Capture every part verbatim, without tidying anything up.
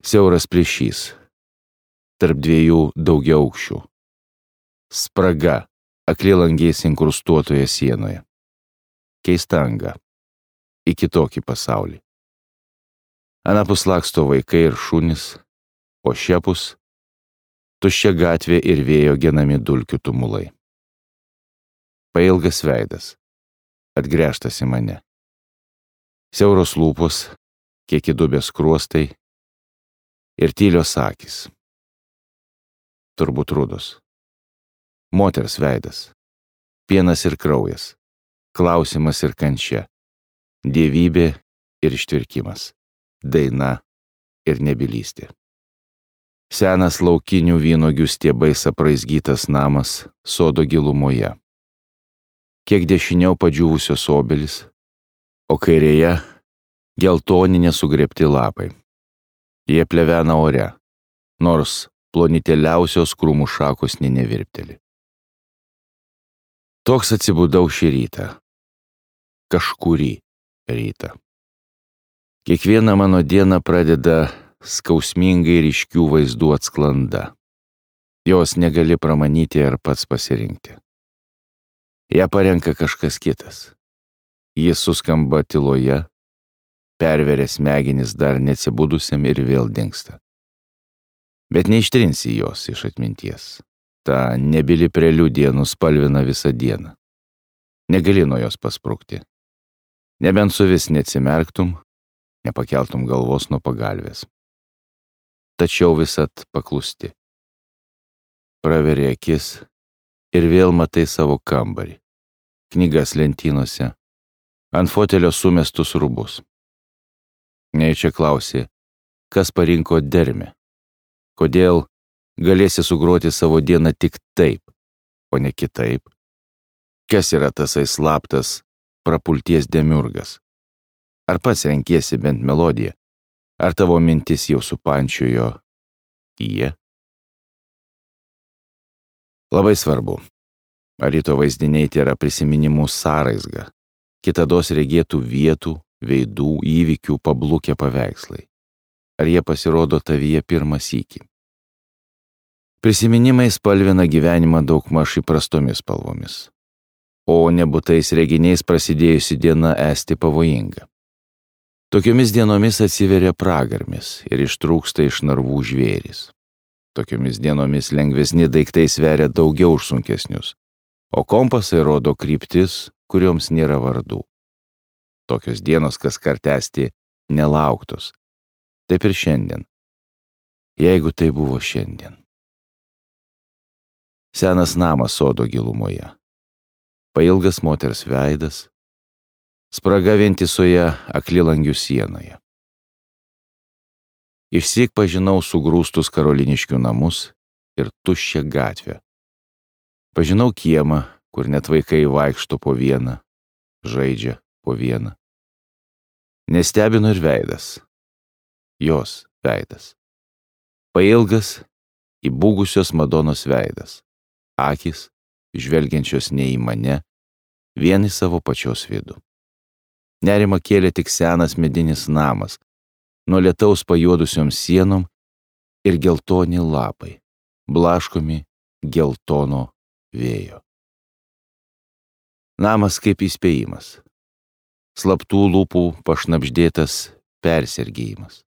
Siauras plyšys tarp dviejų daugiaaukščių. Spraga aklilangiais inkrustuotoje sienoje. Keista anga į kitokį pasaulį. Anapus laksto vaikai ir šunys, o šiapus tuščia gatvė ir vėjo genami dulkių tumulai. Pailgas veidas, atgręžtas į mane. Siauros lūpos, kiek įdubęs skruostai ir tylios akys. Turbūt rudos. Moters veidas, pienas ir kraujas, klausimas ir kančia, dievybė ir ištvirkimas, daina ir nebylystė. Senas laukinių vynuogių stiebais apraizgytas namas sodo gilumoje. Kiek dešiniau padžiūvusios obelis, o kairėje geltoni nesugrėbti lapai. Jie plevena ore, nors plonitėliausios krūmų šakos nė nevirpteli. Toks atsibudau šį rytą. Kažkurį rytą. Kiekviena mano diena pradeda skausmingai ryškių vaizdų atsklanda. Jos negali pramanyti ar pats pasirinkti. Ja parenka kažkas kitas. Jis suskamba tyloje, perveria smegenis dar neatsibudusiam ir vėl dingsta. Bet neištrinsi jos iš atminties. Ta nebyli preliudija nuspalvina visą dieną. Negali nuo jos pasprukti. Nebent su vis neatsimerktum, nepakeltum galvos nuo pagalvės. Tačiau visat paklusti. Praveri akis ir vėl matai savo kambarį. Knygas lentynose, ant fotelio sumestus rūbus. Nejučia klausi, kas parinko dermę. Kodėl galėsi sugroti savo dieną tik taip, o ne kitaip? Kas yra tasai slaptas prapulties demiurgas? Ar pats renkiesi bent melodiją? Ar tavo mintis jau supančiojo jie? Labai svarbu. Ar ryto vaizdiniai tėra prisiminimų sąraizga, kitados regėtų vietų, veidų, įvykių pablukę paveikslai? Ar jie pasirodo tavyje pirmą sykį? Prisiminimai spalvina gyvenimą daugmaž įprastomis spalvomis, o nebūtais reginiais prasidėjusi diena esti pavojinga. Tokiomis dienomis atsiveria pragarmis ir ištrūksta iš narvų žvėrys. Tokiomis dienomis lengvesni daiktai sveria daugiau už sunkesnius, o kompasai rodo kryptis, kurioms nėra vardų. Tokios dienos kaskart esti nelauktos. Taip ir šiandien. Jeigu tai buvo šiandien. Senas namas sodo gilumoje. Pailgas moters veidas. Spraga vientisoje aklilangių sienoje. Išsyk pažinau sugrūstus karoliniškių namus ir tuščią gatvę. Pažinau kiemą, kur net vaikai vaikšto po vieną, žaidžia po vieną. Nestebino ir veidas. Jos veidas. Pailgas, įbūgusios Madonos veidas. Akys, žvelgiančios ne į mane, vien į savo pačios vidų. Nerimą kėlė tik senas medinis namas, nuo lietaus pajuodusiom sienom ir geltoni lapai, blaškomi geltono vėjo. Namas kaip įspėjimas. Slaptų lūpų pašnabždėtas persergėjimas.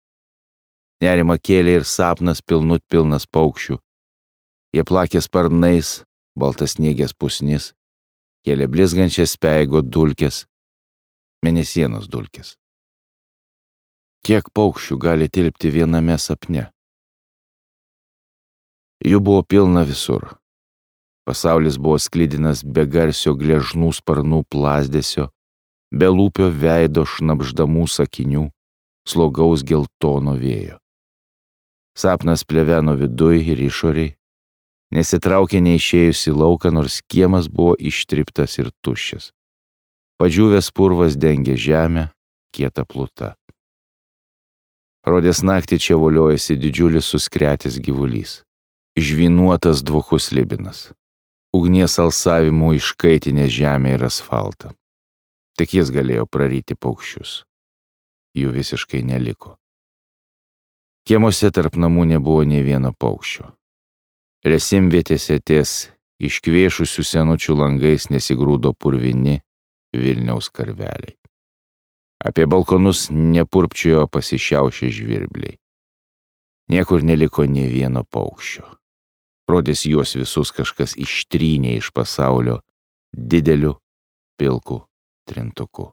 Nerimą kėlė ir sapnas pilnut pilnas paukščių. Jie plakė sparnais, baltasniegės pusnis, kėlė blizgančias speigo dulkes, mėnesienos dulkes. Kiek paukščių gali tilpti viename sapne? Jų buvo pilna visur. Pasaulis buvo sklidinas be garsio gležnų sparnų plazdesio, be lūpio veido šnabždamų sakinių, slogaus geltono vėjo. Sapnas pleveno viduj ir išoriai, nesitraukė neišėjus į lauką, nors kiemas buvo ištriptas ir tuščias. Padžiūvęs purvas dengė žemę, kieta pluta. Rodės naktį čia voliojasi didžiulis suskretęs gyvulys, žvynuotas dvokus slibinas, ugnies alsavimų iškaitinę žemę ir asfaltą. Tik jis galėjo praryti paukščius. Jų visiškai neliko. Kiemuose tarp namų nebuvo nė vieno paukščio. Resimvietėse ties iškvėšusių senučių langais nesigrūdo purvini Vilniaus karveliai. Apie balkonus nepurpčiojo pasišiaušę žvirbliai. Niekur neliko nė vieno paukščio. Rodės juos visus kažkas ištrynė iš pasaulio dideliu pilku trintuku.